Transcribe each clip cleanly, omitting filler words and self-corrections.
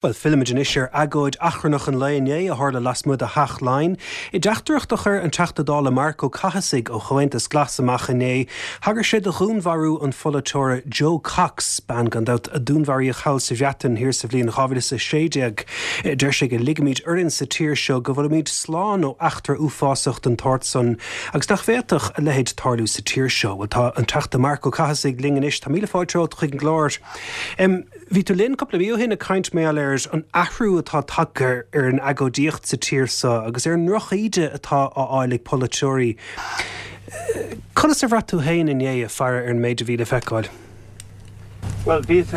Bhuel, fillimid anois ar agóid achrannach an lae inné a tharla lasmuigh de Theach Laighean. I dteachtaireacht a chuir an Teachta Dála Marc Ó Cathasaigh ó Chomhaontas Glas amach inné, thagair sé do dhúnmharú an pholaiteora Jo Cox, bean gan dabht a dúnmharaíodh thall sa Bhreatain thiar sa bhliain 2016. Deir sé go ligimid orainn sa tír seo go bhfuilimid slán ó eachtra uafásach den tsórt san agus nach bhféadfadh a leithéid tarlú sa tír seo. Bhuel, tá an Teachta Marc Ó Cathasaigh linn anois. Tá míle fáilte romhat chuig an gclár. Bhí tú linn cúpla mí ó shin ag caint mar gheall ar an athrú atá tagtha ar an agóidíocht sa tír seo agus ar an ndrochíde atá á fháil ag polaiteoirí. Conas a bhraith tú féin inné ag faire ar an méid a bhí le feiceáil? Bhuel, bhíos,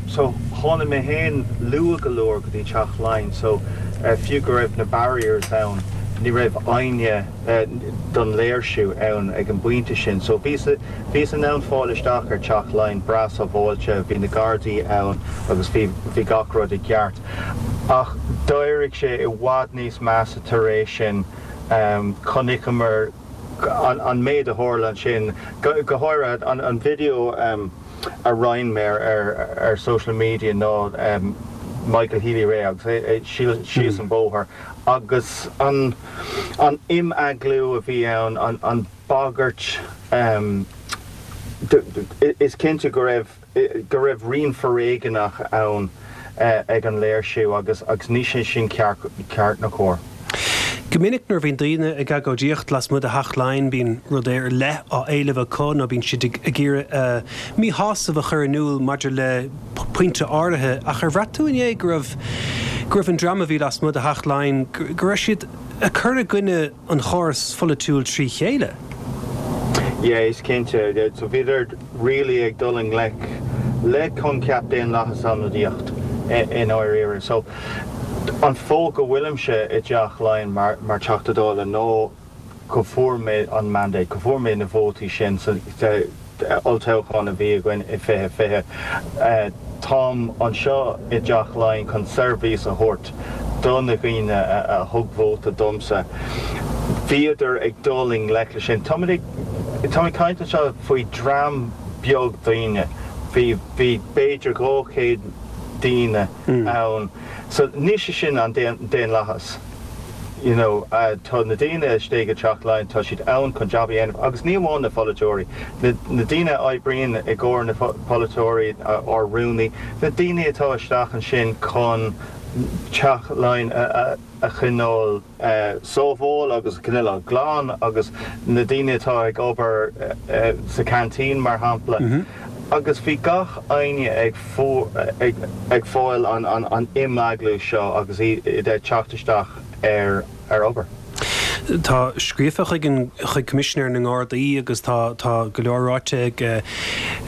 so tháinig mé féin luath go leor go dtí Teach Laighean so fiú go raibh na barriers ann ní raibh éinne don léirsiú ann ag an bpointe sin. So bhíos, bhíos in ann fáil isteach ar Teach Laighean breá sábháilte, bhí na Gardaí ann agus bhí, bhí gach rud i gceart. Ach d'éirigh sé i bhfad níos measa tar éis sin. Chonaiceamar an, an méid a tharla ansin, go, go háirithe an, an video a roinn mé ar, ar social media ná Michael Healy-Rae agus é síos an bóthar agus an an imeaglú a bhí ann, an bagairt, is cinnte go raibh go raibh rian foréigeanach ann ag an léirsiú agus agus ní sé sin ceart ceart ná cóir. Go minic nuair a bhíonn daoine ag agóidíocht lasmuigh de Theach Laighean bíonn rud ar leith á éileamh acu nó bíonn siad ag iarraidh a míshásamh a chur in iúl maidir le pointe áirithe ach ar bhraith tú inné go raibh go raibh an dream a bhí lasmuigh de Theach Laighean go raibh siad ag cur i gcoinne an chórais pholaitiúil trí chéile? Yeah, is cinnte. So bhíodar really ag dul i ngleic le coincheap daonlathas ionadaíocht i ndáiríre. So an fáth go bhfuilimse i dTeach Laighean mar mar Teachta Dála ná go bhfuair mé an mandate, go bhfuair mé na vótaí sin sa olltoghchán a bhí againn i 2020. Táim anseo i dTeach Laighean chun seirbhís a thabhairt do na dhaoine a thug vóta domsa. Bhíodar ag dul i ngleic leis sin. Táimid ag, táim ag caint anseo faoi dream beag daoine. Bhí, bhí b'fhéidir 200 daoine ann. So ní sé sin an daonlathas. You know, tá na daoine istigh i dTeach Laighean, tá siad ann chun jab a dhéanamh agus ní amháin na pholaiteoirí, na na daoine a oibríonn i gcomhair na polaiteoirí, ár rúnaí, na daoine atá isteach ansin chun Teach Laighean a a choinneáil sábháil agus a choinneáil glan agus na daoine atá ag obair sa canteen mar shampla agus bhí gach éinne ag ag fáil an imeaglú seo agus iad ag teacht isteach ar ar obair. Tá scríofa chuig an chuig Coimisinéir na nGardaí agus tá tá go leor ráite ag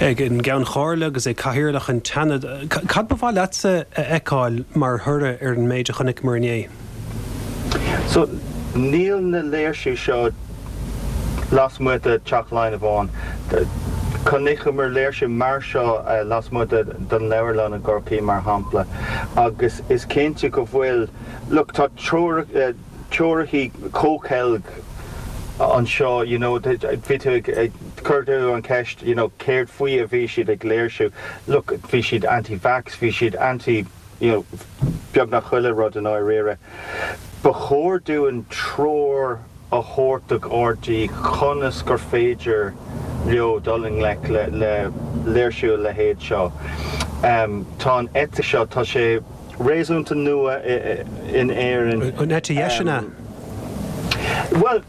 ag an gCeann Chomhairle agus ag Cathaoirleach an tSeanaid. Cad ba mhaith leatsa a fheiceáil mar thoradh ar an méid a chonaiceamar inné? So, níl na léirsiú seo lasmuigh de Teach Laighean amháin. Chonaiceamar léirsiú mar seo lasmuigh den leabharlann i gCorcaigh, mar shampla, agus is cinnte go bhfuil, look, tá treoracha comhcheilg anseo, you know, bhí tú ag, chuir tú an cheist, you know, céard faoi a bhí siad ag léirsiú? Look, bhí siad anti-vax, bhí siad anti, you know, beagnach chuile rud i ndáiríre. Ba chóir dúinn treoir a thabhairt do Ghardaí conas gur féidir leo dul i ngleic le le léirsiú a leithéid seo. Tá an eite seo, tá sé réasúnta nua in Éirinn. An eite dheis, an ea? Bhuel,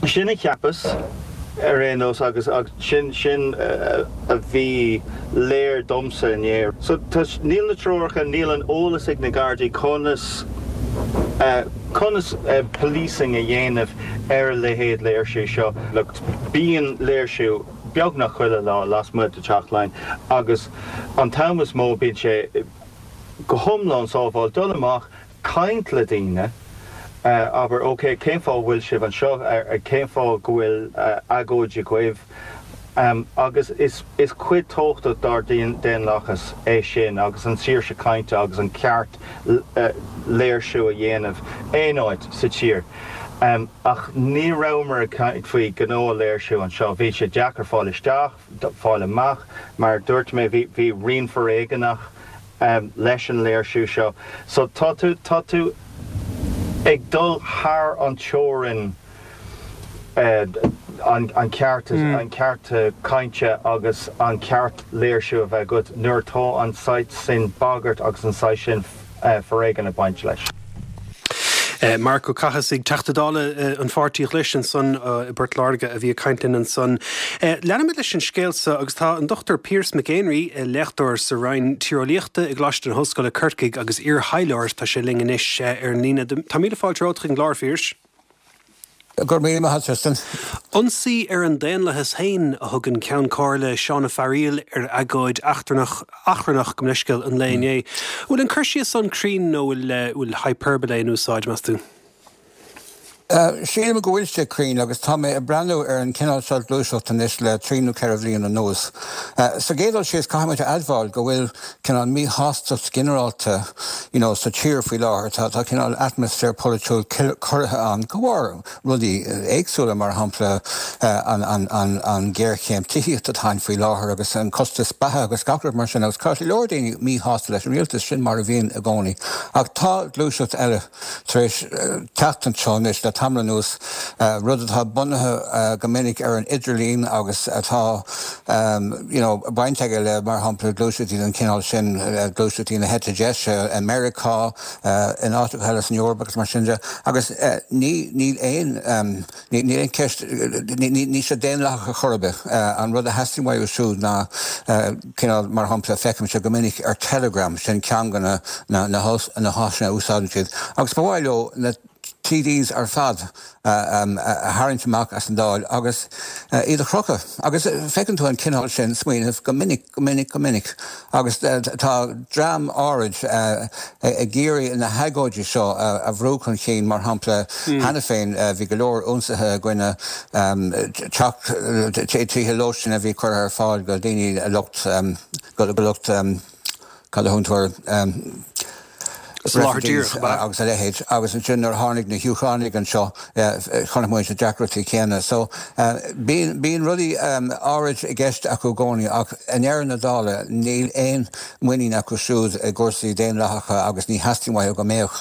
Sin a cheapas, ar aon nós, agus sin, sin a bhí léir domsa inné. So, tá, níl na treoracha, níl an eolas ag na Gardaí conas, conas policing a dhéanamh ar a leithéid léirsiú seo. Look, bíonn léirsiú beagnach chuile lá lasmuigh de Teach Laighean agus an t-am is mó bíonn sé go hiomlán sábháilte dul amach, caint le daoine, abair, ok, cén fáth a bhfuil sibh anseo, cén fáth go bhfuil agóid agaibh? Agus is cuid tábhachtach dár daonlathas é sin agus an saoirse cainte agus an ceart léirsiú a dhéanamh aon áit sa tír. Ach ní rabhamar ag caint faoi ghnáth-léirsiú anseo. Bhí sé deacair fáil isteach, fáil amach, mar a dúirt mé, bhí rian foréigeanach. leis an léirsiú seo. So tá tú, tá tú ag dul thar an teorainn an ceart, an ceart cainte agus an ceart léirsiú a bheith agat nuair atá an saghas sin bagairt agus an saghas sin foréigean ag baint leis. Marc Ó Cathasaigh, Teachta Dála an Pháirtí Ghlais ansan i bPort Láirge a bhí ag caint linn ansan. Leanfaimid leis an scéal so agus tá an Dr Pearse Mac Éinrí, léachtóir sa Roinn Tíreolaíochta i gColáiste na hOllscoile Corcaigh agus iar-thaidhleoir, tá sé linn anois ar an líne. Tá míle fáilte romhat chuig an gclár, a Phiarais. Go raibh míle maith agat, Tristan. Ionsaí ar an daonlathas féin a thug an Ceann Comhairle Seán Ó Fearaíl ar agóid eachtrannach, achrannach, gabh mo leithscéal, an lae inné. An bhfuil an cur síos san cruinn nó bhfuil hyperbole in úsáid, meas tú? Sílim go bhfuil sé cruinn agus tá mé ag breathnú ar an cineál seo gluaiseacht anois le trí nó ceithre bhliain anuas. Sa gcéad dul síos caithfidh muid a admháil go bhfuil cineál míshástacht ginearálta you know sa tír faoi láthair. Tá tá cineál atmaisféar polaitiúil corraithe ann de bharr rudaí éagsúla, mar shampla an an an an ghéarchéim tithíochta atá ann faoi láthair agus an costas beatha agus gach rud mar sin agus tá go leor daoine míshásta leis an rialtas, sin mar a bhíonn i gcónaí. Ach tá gluaiseacht eile tar éis teacht anseo anois le tamall anuas, rud atá bunaithe go minic ar an idirlíon agus atá you know baint aige le, mar shampla, gluaiseachtaí den chineál sin, gluaiseachtaí na heite deise i Meiriceá, in áiteacha eile san Eoraip agus mar sin de. Agus ní, níl aon, níl aon cheist, níl sé daonlathach ar chor ar bith. An rud a theastaíonn uathu siúd ná cineál, mar shampla, feicimse go minic ar Telegram, sin ceann de na, na háiseanna a úsáideann siad, agus ba mhaith leo na TDs ar fad a tharraingt amach as an Dáil agus iad a chrochadh. Agus feiceann tú an cineál sin smaoinimh go minic, go minic, go minic. Agus tá dream áirid ag iarraidh na hagóidí seo a bhrú chun cinn, mar shampla, cheana féin bhí go leor ionsaithe i gcoinne teach, tithe lóistín a bhí curtha ar fáil do dhaoine lucht, go lucht, cad a thugann tú air, refugees agus a leithéid. Agus ansin nuair a tháinig na hÚcránaigh anseo chonaic muid na deacrachtaí céanna. So bíonn, bíonn rudaí áirid i gceist acu i gcónaí ach i ndeireadh na dála níl aon muinín acu siúd i gcúrsaí daonlathacha agus ní theastaíonn uathu go mbeadh.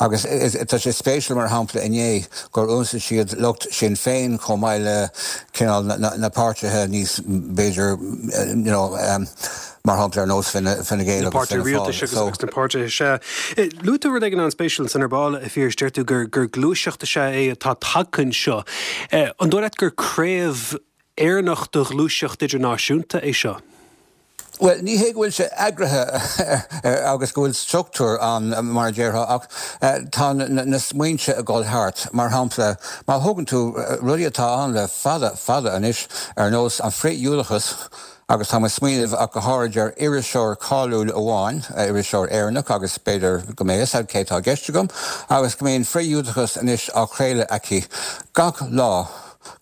Agus tá sé spéisiúil mar shampla inné gur ionsaigh siad lucht Sinn Féin chomh maith le cineál na páirtithe níos b'fhéidir you know mar shampla ar nós Fine Gael agus Fianna Fáil. So. Agus na páirtithe sea. Luaigh tú rud éigin an-spéisiúil ansan ar ball, a Phiarais, deir tú gur gluaiseacht is ea é atá tagtha anseo. An dóigh leat gur craobh Éireannach de ghluaiseacht idirnáisiúnta é seo? Bhuel, ní hé go bhfuil sé eagraithe agus go bhfuil struchtúr ann, mar a déarfá, ach tá na smaointe ag dul thart. Mar shampla, má thógann tú rudaí atá ann le fada, fada anois, ar nós an frith-Ghiúdachas, Agus táim ag smaoineamh ach go háirid ar iriseoir cáiliúil amháin, iriseoir Éireannach agus b'fhéidir go mbeidh fhios a'd cé atá i gceist agam, agus go mbíonn frith-Ghiúdachas anois á chraoladh aici gach lá,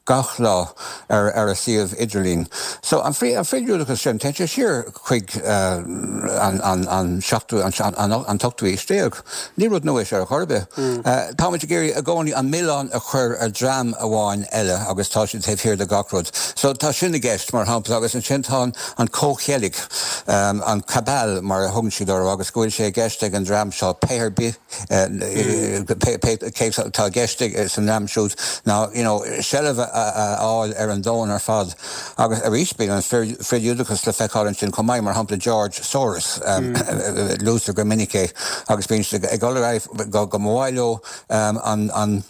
gach lá, ar ar a suíomh idirlín. So, an frith, an frith-Ghiúdachas sin, téann sé siar chuig an, an, an seachtú, an, an, an t-ochtú aois déag. Ní rud nua é seo ar chor ar bith. Táimid ag iarraidh i gcónaí an milleán a chur ar dream amháin eile agus tá siad taobh thiar de gach rud. So tá sin i gceist, mar shampla, agus ansin tá an comhcheilg, an cabal mar a thugann siad orthu agus go bhfuil sé i gceist ag an dream seo pé ar bith pé cé atá i gceist san dream siúd ná you know seilbh a fháil ar an domhan ar fad. Agus arís bíonn an frith-Ghiúdachas le feiceáil ansin chomh maith, mar shampla George Soros, luaitear go minic é, agus bíonn siad ag dul ar aghaidh go mba mhaith leo an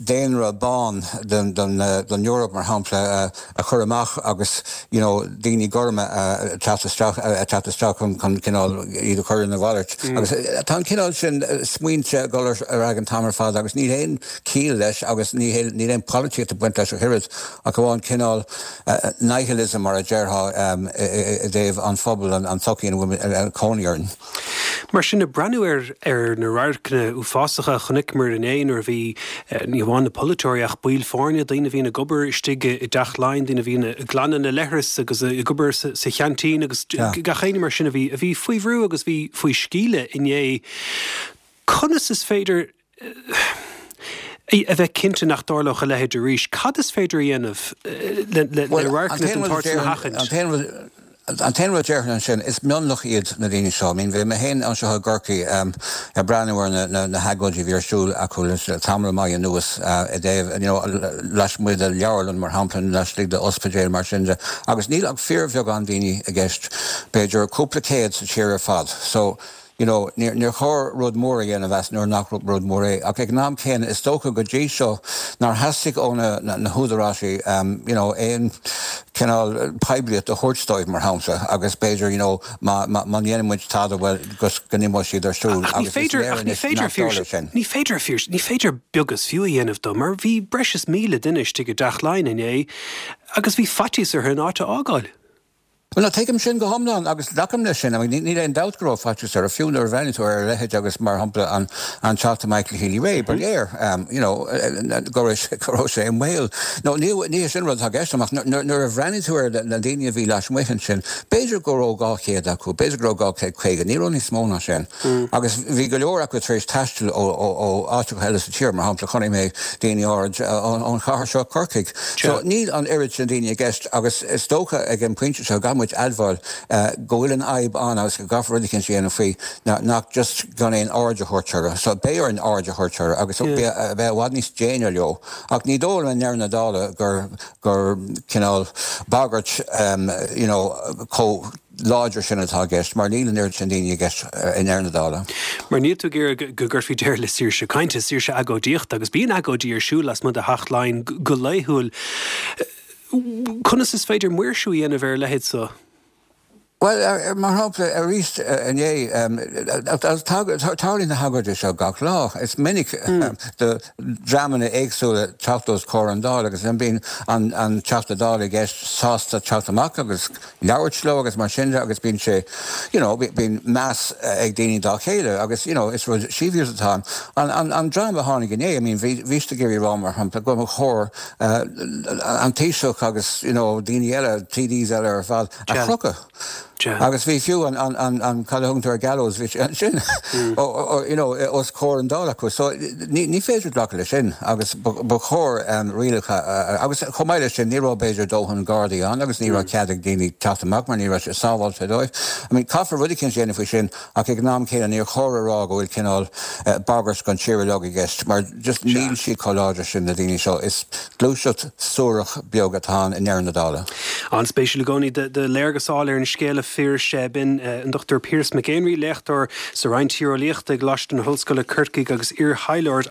daonra bán den Eoraip, mar shampla, a chur amach agus you know daoine gorma a teacht isteach a teacht isteach chun cineál iad a chur ina mhalairt. Agus tá an cineál sin smaointe ag dul ar aghaidh an t-am ar fad agus níl aon chiall leis agus níl aon polaitíocht ag baint leis ach oiread. Ach amháin cineál nihilism mar a déarfá i dtaobh an phobail, an tsochaí ina bhfuil cónaí orainn. Mar sin, ag breathnú ar ar na radharcanna uafásacha a chonaiceamar inné nuair a bhí ní hamháin na polaiteoirí ach baill foirne, daoine a bhíonn ag obair istigh i dTeach Laighean, daoine a bhíonn ag glanadh na leithreas agus ag obair sa cheaintín agus gach éinne mar sin a bhí a bhí faoi bhrú agus bhí faoi sciúradh inné. Conas is féidir a bheith cinnte nach dtarlódh a leithéid arís. Cad is féidir a dhéanamh le radharcanna den tsórt sin a sheachaint? An t-aon rud a déarfainn ansin, is mionlach iad na daoine seo. I mean, bhí mé féin anseo i gCorcaigh ag breathnú ar na hagóidí a bhí ar siúl acu le tamall maith anuas i dtaobh, you know, lasmuigh de leabharlann, mar shampla, nó laistigh de ospidéal, mar sin de, agus níl ach fíorbheagán daoine i gceist, b'fhéidir cúpla céad sa tír ar fad. So, you know, níor chóir rud mór a dhéanamh as nuair nach rud mór é. Ach ag an am céanna, is dócha go dtí seo nár theastaigh ó na húdaráisí, you know, aon chineál poiblíocht a thabhairt dóibh, mar shampla, agus b'fhéidir, you know, má dhéanann muid tada, bhuel, go n-imeoidh siad ar siúl agus is léir anois nach dtarlóidh sin. Ní féidir, ní féidir beag is fiú a dhéanamh dó, mar bhí breis is 1,000 duine istigh i dTeach Laighean inné agus bhí faitíos orthu an áit a fhágáil. Bhuel, no, tuigim sin go hiomlán agus glacaim leis sin. I mean, níl aon dabht go raibh faitíos orthu, fiú nuair a bhreathnaíonn tú ar a leithéid agus, mar shampla, an an Teachta Michael Healy-Rae, ba léir, you know, go raibh sé, go raibh sé i mbaol. No, ní, ní hé sin an rud atá i gceist agam, ach nuair, nuair a bhreathnaíonn tú ar na daoine a bhí lasmuigh ansin, b'fhéidir go raibh 200 acu, b'fhéidir go raibh 250, ní raibh níos mó ná sin. Agus bhí go leor acu tar éis taisteal ó, ó, ó áiteacha eile sa tír, mar shampla, chonaic mé daoine áirid ón chathair seo, Corcaigh. So, níl an oiread sin daoine i gceist agus is dócha ag an bpointe seo go gcaithfidh muid admháil go bhfuil an fhadhb ann agus go gcaithfear rud eicínt a dhéanamh faoi nach just gan aon aird a thabhairt orthu. So beidh orainn aird a thabhairt orthu agus bheith i bhfad níos déine leo. Ach ní dóigh liom i ndeireadh na dála gur gur cineál bagairt you know chomh láidir sin atá i gceist, mar níl an oiread sin daoine i gceist i ndeireadh na dála. Mar níl tú ag iarraidh go gcuirfí deireadh le saoirse cainte, saoirse agóidíochta, agus bíonn agóidí ar siúl lasmuigh de Theach Laighean go laethúil. Conas is féidir maoirsiú a dhéanamh ar a leithéid so? Bhuel, mar shampla, arís inné, tarlaíonn na hagóidí seo gach lá. Is minic do dhreamanna éagsúla teacht os comhair an Dáil agus bíonn an Teachta Dála i gceist sásta teacht amach agus labhairt leo agus mar sin de agus bíonn sé, you know, bíonn meas ag daoine dá chéile agus, you know, is rud sibhialta atá ann. An, an dream a tháinig inné, I mean, bhí, bhí siad ag iarraidh a rá, mar shampla, go mba chóir an Taoiseach agus, you know, daoine eile, TDs eile ar fad, a chrochadh. Agus bhí fiú an, an, an, an, cad a thugann tú ar gallows, bhí sé ansin, you know, os comhair an Dáil acu. So, ní, ní féidir glacadh leis sin agus ba, ba chóir rialacha, agus chomh maith leis sin, ní raibh b'fhéidir dóthain gardaí ann agus ní raibh cead ag daoine teacht amach mar ní raibh sé sábháilte dóibh. I mean, caithfear rud eicínt a dhéanamh faoi sin ach ag an am céanna níor chóir a rá go bhfuil cineál bagairt don tír uilig i gceist mar just níl siad chomh láidir sin na daoine seo. Is gluaiseacht suarach beag atá ann i ndeireadh na dála. An-spéisiúil i gcónaí do léargas a fháil ar an scéal a Phiarais. B'in an Dr Piaras Mac Éinrí, léachtóir sa Roinn Tíreolaíochta i gColáiste na hOllscoile, Corcaigh agus iar-thaidhleoir.